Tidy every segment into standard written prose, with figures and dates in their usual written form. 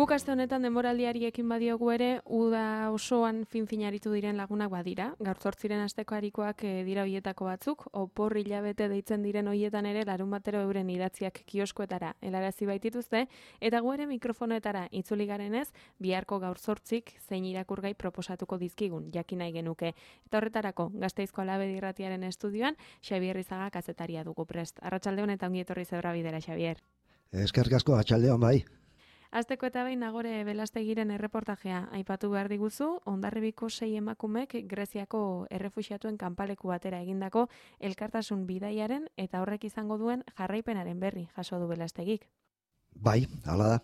Guk aste honetan denboraldiari ekin badiogu ere, uda osoan fin-finaritu diren lagunak badira. Gaur 8 asteko harikoak dira hoietako batzuk, opor hilabete deitzen diren hoietan ere larunbatero euren idatziak kioskoetara helarazi baitituzte, eta gu ere mikrofonoetara itzuli garenez, biharko gaur 8 zein irakurgai proposatuko dizkigun, jakin nahi genuke. Eta horretarako, Gasteizko Alabedi Irratiaren estudioan, Xabier Rizaga kazetaria dugu prest. Arratsalde honetan ongi etorri Zebra Bidera, Xabier. Eskerrik asko, arratsaldeon bai. Azteko eta behin Nagore Belastegiren erreportajea aipatu behar diguzu, Hondarribiko 6 emakumek Greziako errefuxiatuen kanpaleku batera egindako elkartasun bidaiaren eta horrek izango duen jarraipenaren berri jaso du Belastegik. Bai, hala da.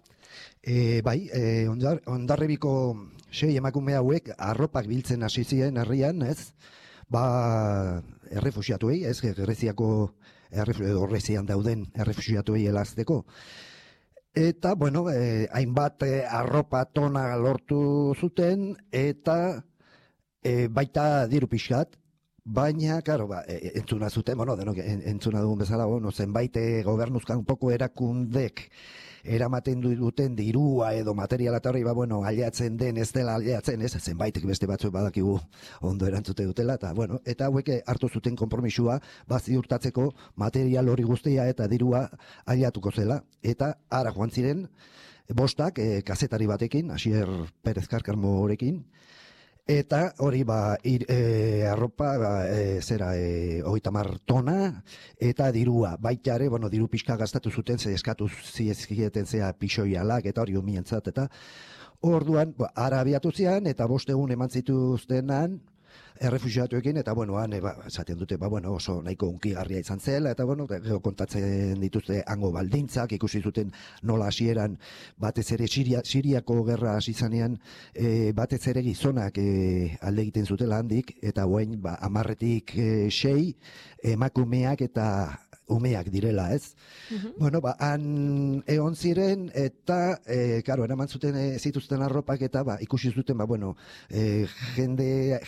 Hondarribiko 6 emakume hauek arropak biltzen hasi ziren herrian, ez? Errefuxiatuei, ez? Greziako Grezian dauden errefuxiatuei helazteko. Eta, hainbat arropa tona lortu zuten, eta baita diru pixkat, baina, entzuna zuten, denok entzuna dugun bezala, zenbait gobernuzkan poko erakundek eramaten duten dirua edo materiala eta hori, aliatzen den, ez dela aliatzen, ez, zenbaitek beste batzuk badakigu ondo erantzute dutela, eta hauek hartu zuten konpromisua, ziurtatzeko material hori guztia eta dirua aliatuko zela, eta ara joan ziren, bostak, kazetari batekin, Asier Perez Karkarmorekin, eta hori arropa 30 tona eta dirua baita ere, diru pixka gastatu zuten, ze eskatu ziezkieten zea pixoialak eta hori umientzat, eta orduan ara abiatu zian eta 5 egun eman zituztenan errefuxiatuekin, eta esaten dute, oso nahiko unkigarria izan zela, eta kontatzen dituzte hango baldintzak, ikusi zuten nola hasieran batez ere Siriako gerra hasi zanean, batez ere gizonak alde egiten zutela handik, eta orain 10-6 emakumeak eta umeak direla, ez? Han egon ziren, eta, eraman zuten zituzten arropak, eta ikusi zuten,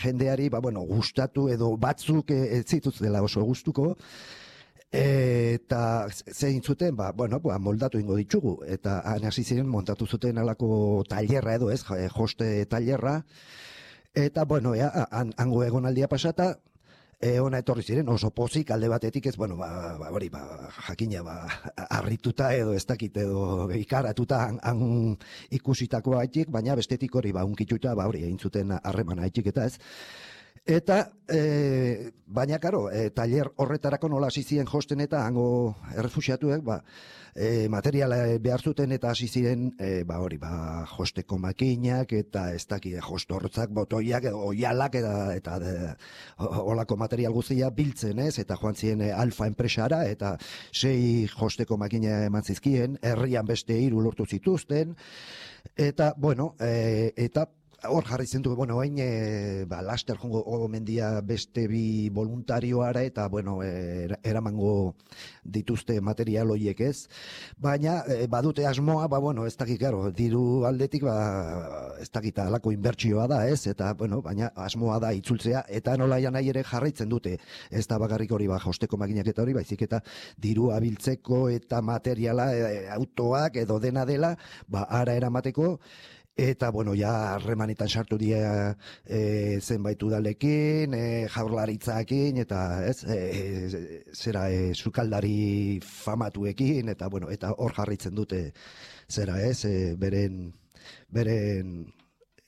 jendeari, gustatu edo batzuk ez zituztela oso gustuko, eta zein zuten, moldatu ingo ditugu, eta han hasi ziren montatu zuten alako tailerra edo, ez, joste tailerra, eta, hango egonaldia pasata, ona etorri ziren, oso pozik alde batetik ez, jakina, harrituta edo ez dakit edo ikaratuta han ikusitakoa haitik, baina bestetik hori unkituta, egin zuten harremana haitik eta ez. Eta, baina, tailer horretarako nola hasi ziren josten eta hango errefuxiatuek, materiala behar zuten eta hasi ziren, josteko makinak eta ez dakide jostortzak, botoiak, oialak eta olako material guztia biltzen, ez? Eta joan ziren Alfa enpresara eta 6 josteko makina eman zizkien, herrian beste 3 lortu zituzten, eta, eta hor jarri zentu, hain laster jongo mendia beste 2 voluntarioara eta, eramango dituzte material horiek ez, baina badute asmoa, ez dakit, diru aldetik, ez dakit, alako inbertsioa da ez, eta, baina asmoa da itzultzea, eta nolaian nahi ere jarraitzen dute, ez da bakarrik hori, josteko makinak eta hori, baizik eta diru abiltzeko eta materiala, autoak edo dena dela, ara eramateko, eta, harremanetan sartu dira zenbait udalekin, jaurlaritzakin, eta sukaldari famatuekin, eta hor jarritzen dute beren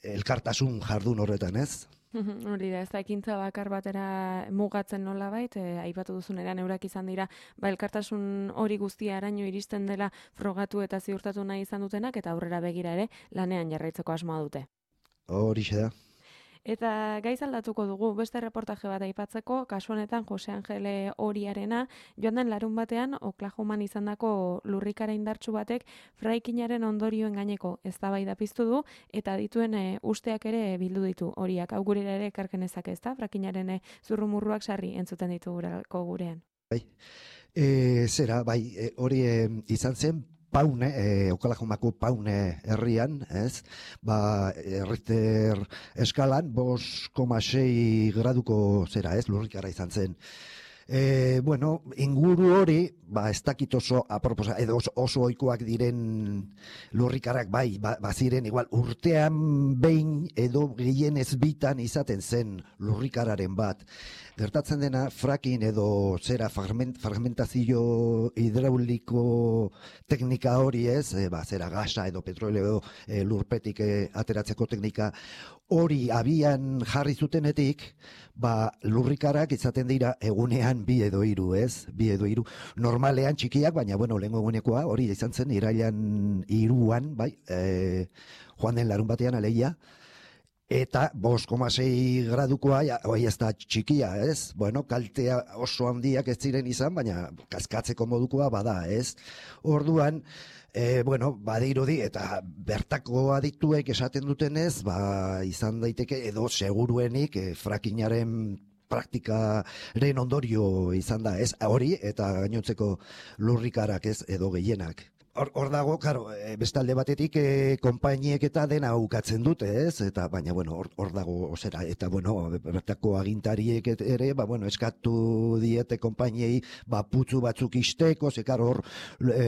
elkartasun jardun horretan, ez? Hori da, ez da ekintza bakar batera mugatzen nolabait, aipatu duzunean eurak izan dira, elkartasun hori guztia araño iristen dela frogatu eta ziurtatu nahi izan dutenak, eta aurrera begira ere lanean jarraitzeko asmoa dute. Horixe da. Eta gaiz aldatuko dugu, beste reportaje bat aipatzeko, kasu honetan Jose Angele Oriarena, joan den larun batean, Oklahoman izandako lurrikara indartsu batek fraikinaren ondorioen gaineko eztabaida piztu du, eta dituen usteak ere bildu ditu horiak. Hau gurera ere ekarkenezak ez da, fraikinaren zurrumurruak sarri entzuten ditugurako gurean. Hori izan zen, Paune, Oklahomako Paune herrian, ez? Richter eskalan 5,6 graduko lurrikara izan zen. Bueno, inguru hori, ez dakit oso aproposa, edo oso ohikoak diren lurrikarak, bai, baziren, igual, urtean behin edo gehienez bitan izaten zen lurrikararen bat. Gertatzen dena, fracking edo zera fragmentazio hidrauliko teknika hori ez, zera gasa edo petroleo lurpetik ateratzeko teknika hori abian jarri zutenetik, lurrikarak izaten dira egunean 2 edo 3, ez? 2 edo 3. Normalean txikiak, baina, lehengo egunekoa, hori izan zen, irailan 3an, bai, joan den larun batean aleia, eta 5,6 gradukoa, hoi ez da txikia, ez? Bueno, kaltea oso handiak ez ziren izan, baina kaskatzeko modukoa bada, ez? Orduan, badirudi, eta bertako adituek esaten dutenez, izan daiteke edo seguruenik frackingaren praktikaren ondorio izan da, ez? Hori eta gainontzeko lurrikarak, ez? Edo gehienak. Hor dago, karo, bestalde batetik konpainiek eta dena ukatzen dute, ez? Eta, baina, hor dago, osera, eta, bertako agintariek ere, eskatu diete konpainiei, putzu batzuk isteko, karo, hor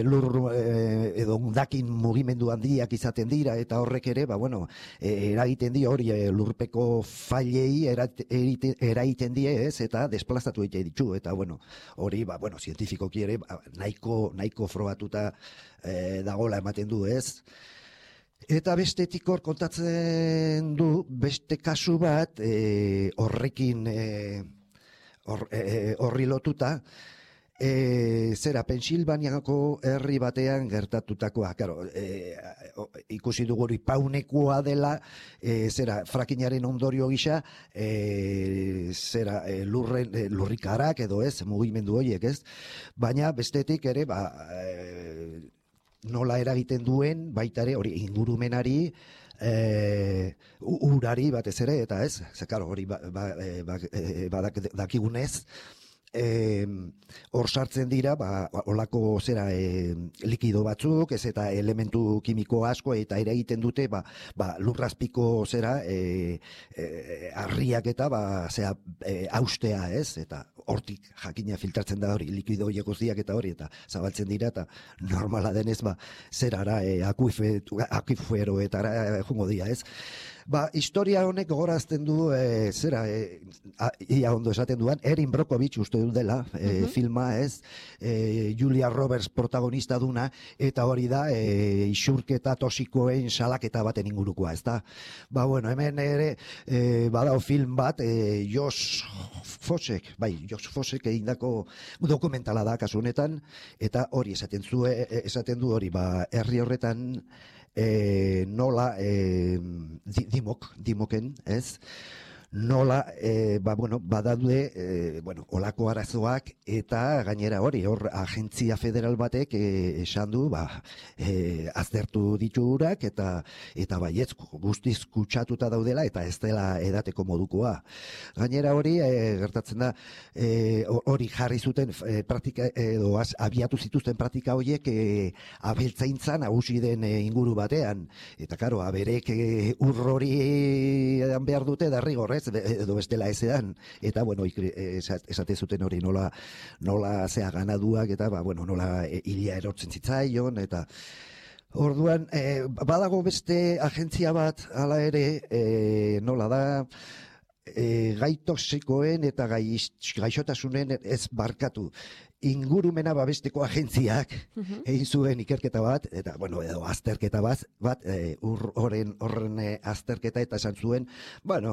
lur edo undakin mugimendu handiak izaten dira, eta horrek ere, eragiten die hori lurpeko failei eraiten die, ez? Eta desplazatu egite ditu, eta, hori, zientifikoki ere, nahiko frogatuta dagola ematen du, ez? Eta bestetik hor kontatzen du beste kasu bat horrekin horri lotuta, zera, Pensilvaniako herri batean gertatutakoa, claro, ikusi dugu hori paunekoa dela, zera, frackingaren ondorio gisa, zera, lurrikarak edo ez, mugimendu horiek, ez? Baina bestetik ere, nola eragiten duen, baita ere, hori ingurumenari, urari batez ere, eta ez, zekaro, hori dakigunez, hor sartzen dira, olako zera likido batzuk, ez eta elementu kimiko asko, eta ere egiten dute, lurrazpiko zera harriak eta austea, ez, eta hortik jakina filtratzen da hori, likido horiek guztiak eta hori, eta zabaltzen dira, eta normala denez, zerara, akuiferoetara jungo dira, ez. Historia honek gogorazten du, ia ondo esaten duan, Erin Brockovich uste du dela, filma, ez, Julia Roberts protagonista duna, eta hori da, isurketa tosikoen salaketa baten ingurukoa, ez da. Hemen ere, badao film bat, Josh Fossek egindako dokumentala da kasu honetan, eta hori esaten du hori, herri horretan, nola dimoken, ez? Nola, badaude, olako arazoak, eta gainera hori, hor, agentzia federal batek esan du, aztertu diturak, eta baietz, guztiz kutsatuta daudela, eta ez dela edateko modukoa. Gainera hori, gertatzen da, hori jarri zuten praktika, edo abiatu zituzten praktika horiek abeltzaintzan nagusi den inguru batean. Eta, karo, aberek urrori behar dute, derrigorrez, edo bestela ezean, eta, esate zuten hori nola zea ganaduak, eta, nola hilia erotzen zitzaion, eta orduan, badago beste agentzia bat, hala ere, nola da, gai toxikoen eta gaixotasunen ez barkatu. Ingurumena babesteko agentziak egin zuen ikerketa bat, eta, edo azterketa bat, horren azterketa eta esan zuen,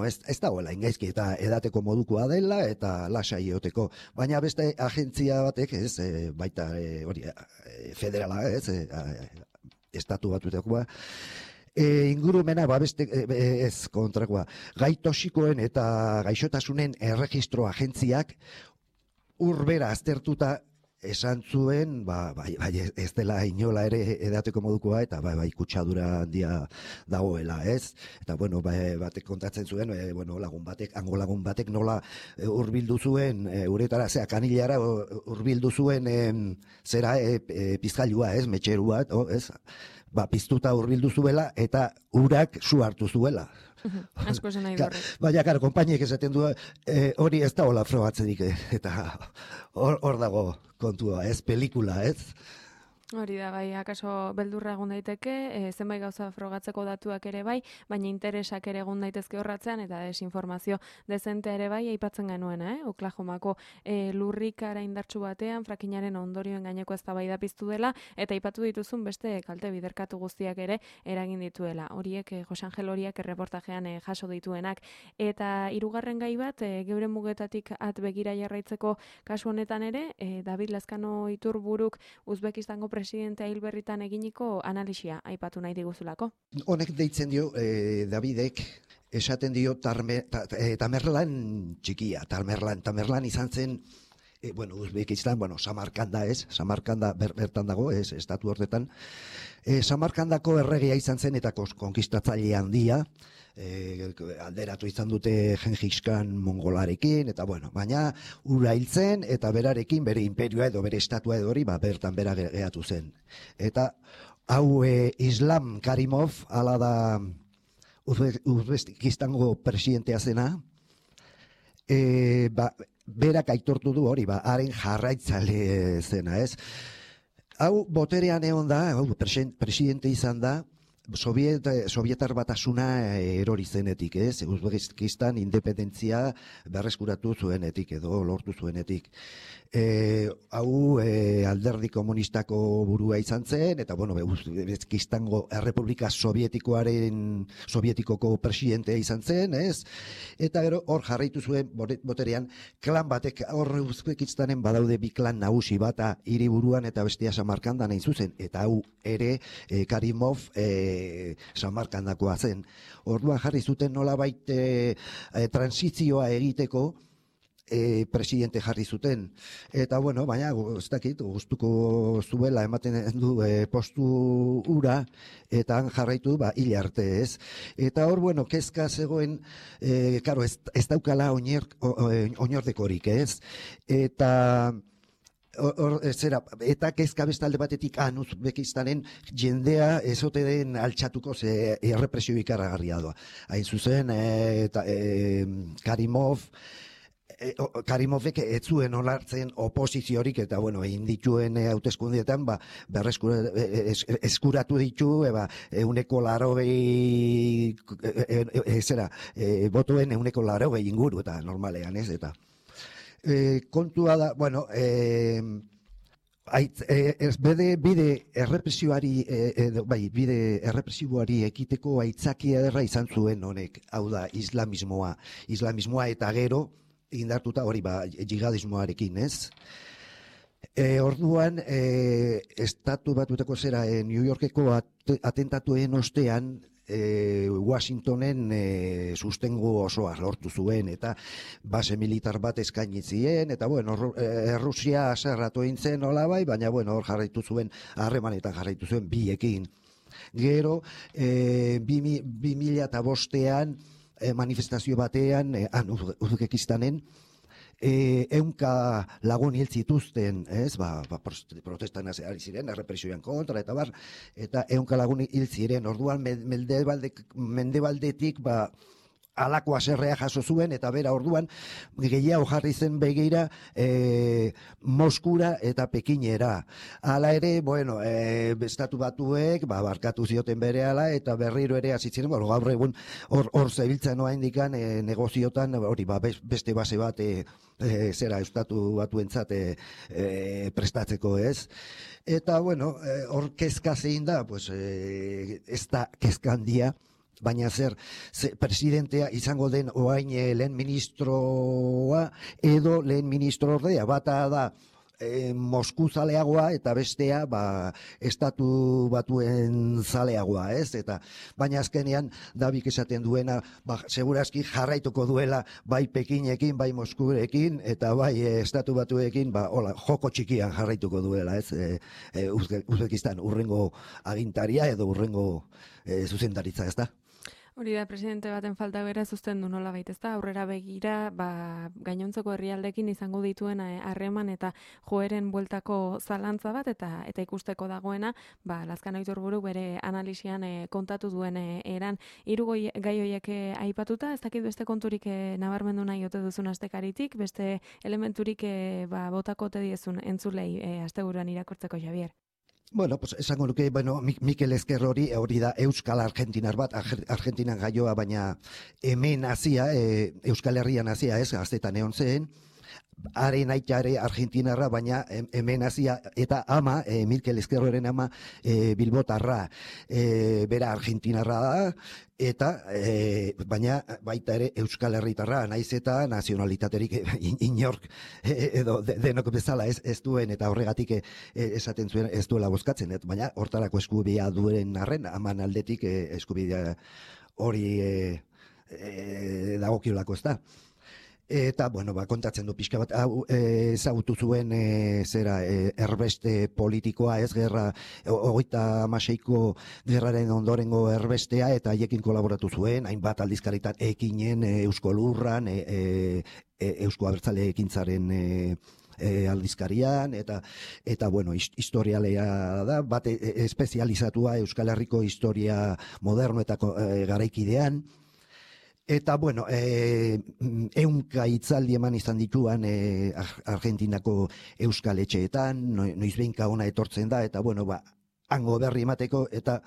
ez dagoela ingaizki eta edateko modukoa dela eta lasai egoteko. Baina beste agentzia batek, ez, baita hori federala, ez, estatu batutakoa, ingurumena babeste ez kontrakoa. Gai toxikoen eta gaixotasunen erregistro agentziak urbera aztertuta esan zuen, ez dela inola ere edateko modukoa, eta kutsadura handia dagoela, ez? Eta, batek kontatzen zuen, hango lagun batek nola hurbildu zuen, uretara, kanilara hurbildu zuen, zera, pizgailua, ez? Metxerua, ez? piztuta hurbildu zuela eta urak su hartu zuela. Asko esan nahi horrek. Baina, karo, konpainiek esaten du, hori ez da hola frogatzerik, eta hor dago kontua, ez, pelikula, ez? Hori da, bai, akaso beldurra egun daiteke, zenbait gauza frogatzeko datuak ere bai, baina interesak ere egun daitezke horratzean, eta desinformazio dezente ere bai, aipatzen genuena, Oklahomako lurrikara indartsu batean, frakinaren ondorioen gaineko eztabaida piztu dela, eta aipatu dituzun beste kalte biderkatu guztiak ere eragin dituela. Horiek Jose Angel horiak erreportajean jaso dituenak. Eta hirugarren gai bat, geure mugetatik at begira jarraitzeko kasu honetan ere, David Lazkano Iturburuk Uzbekistango presidentea hil berritan eginiko analisia aipatu nahi diguzulako. Honek deitzen dio, Davidek, esaten dio Tamerlan txikia, Tamerlan izan zen, Uzbekistan, Samarkanda ez, Samarkanda bertan dago, ez, estatu horretan, Samarkandako erregea izan zen eta konkistatzaile handia, alderatu izan dute Gengis Khan mongolarekin, eta baina ura hiltzen eta berarekin bere imperioa edo bere estatua edo hori bertan bera geratu zen. Eta hau Islam Karimov, ala da Uzbekistango presidentea zena, berak aitortu du hori, haren jarraitzale zena, ez? Hau boterean egon da, presidente izan da, Sovietar batasuna erori zenetik, ez? Uzbekistan independentzia berreskuratu zuenetik edo lortu zuenetik. Hau alderdi komunistako burua izan zen, eta Uzbekistango Errepublika Sovietikoko presidentea izan zen, ez? Eta gero hor jarraitu zuen boterean klan batek, hor Uzbekistanen badaude bi klan nagusi, bata hiriburuan eta bestea Samarkandan hain zuzen, eta hau ere Karimov Samarkandakoa zen. Orduan jarri zuten nolabait transizioa egiteko presidente jarri zuten. Eta baina ez dakit, gustuko zuela ematen du postu ura, eta han jarraitu hil arte, ez. Eta hor, kezka zegoen, ez daukala oinordekorik, ez. Eta kezka bestalde batetik Uzbekistanen jendea ezote den altxatuko ze errepresio ikaragarria doa. Hain zuzen, Karimovek ez zuen onartzen oposiziorik, eta egin dituen hauteskundietan eskuratu ditu 180 botoen 180 inguru, eta normalean ez, eta kontua da, bide errepresiboari ekiteko aitzakia ederra izan zuen honek, hau da islamismoa eta gero indartuta hori jihadismoarekin, ez? Orduan, estatu batutako zera New Yorkeko atentatuen ostean, Washingtonen sustengo osoa lortu zuen, eta base militar bat eskaini zien, eta Errusia aserratu egin zen nolabait, baina hor jarraitu zuen, harremanetan jarraitu zuen biekin. Gero, 2005an manifestazio batean, Uzbekistanen, ehunka lagun hil zituzten, ez, protestan ari ziren, errepresioan kontra, eta ehunka lagun hil ziren, orduan mendebaldetik, alako aserrea jaso zuen, eta bera orduan gehiago jarri zen begira Moskura eta Pekinera. Hala ere, estatu batuek, barkatu zioten berehala, eta berriro ere hasi ziren, gaur egun hor zebiltzen noa indikan negoziotan, hori beste base bat estatu batuentzat prestatzeko, ez? Eta, hor kezka zein da, ez da kezka handia, baina presidentea izango den oain lehen ministroa edo lehen ministro ordea, bata da Mosku zaleagoa eta bestea estatu batuen zaleagoa, ez? Baina azkenean Dabik esaten duena, segurazki jarraituko duela bai Pekinekin, bai Moskurekin, eta bai estatu batuekin, joko txikian jarraituko duela, ez? Uzbekistan urrengo agintaria edo urrengo zuzendaritza, ez da? Hori da, presidente baten falta bera zuzten du nola baita, aurrera begira, gainontzeko herrialdekin izango dituen harreman eta joeren bueltako zalantza bat, eta ikusteko dagoena, Lazkano Iturburu bere analisian kontatu duen eran, hiru gai horiek aipatuta, ez dakit beste konturik nabarmendu nahi ote duzun astekaritik, beste elementurik botako ote diezun entzulei asteburuan irakurtzeko, Javier. Bueno, pues esango nuke, Mikel Ezker hori da Euskal Argentinar bat, Argentinan gaioa, baina hemen hazia, Euskal Herrian hazia, gaztetan egon zen, haren aitare Argentinarra, baina hemen hazia, eta ama, Mikel Ezkerroren ama, Bilbotarra, bera Argentinarra da, eta baina baita ere Euskal Herritarra, naiz eta nazionalitaterik inork edo denok bezala ez duen, eta horregatik esaten zuen ez duela bozkatzen, baina hortarako eskubidea duen arren, aman aldetik eskubidea hori dagokiolako ez da. Eta, kontatzen du pixka bat, ezagutu zuen erbeste politikoa, gerra, 36ko gerraren ondorengo erbestea, eta haiekin kolaboratu zuen, hainbat aldizkaritan ekinen, Eusko Lurran, Eusko Abertzale ekintzaren aldizkarian, eta historialea da, bat espezializatua Euskal Herriko historia moderno eta garaikidean. Eta, ehunka hitzaldi eman izan dituan Argentinako euskal etxeetan, noizbehinka ona etortzen da, eta, hango berri emateko, eta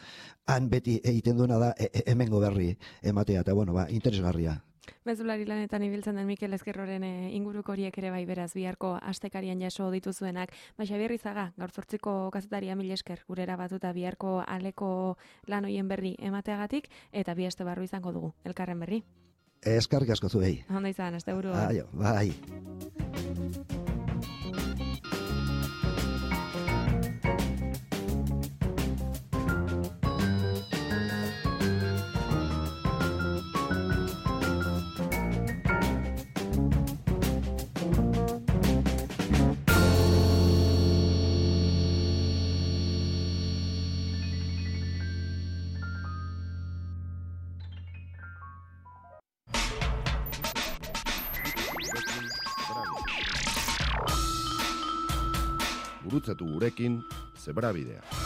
han beti egiten duena da hemengo berri ematea, eta, interesgarria. Mezulari lanetan ibiltzen den Mikel Ezkerroren inguruko horiek ere bai beraz biharko astekarian jaso dituzuenak. Javier Izaga, gaur 8ko kazetaria, mil esker gurera batuta biharko aleko lan hoien berri emateagatik, eta bi aste barru izango dugu elkarren berri. Eskerrik asko zuei. Ondo izan, asteburua. Bai. Gurutzatu gurekin Zebrabidea.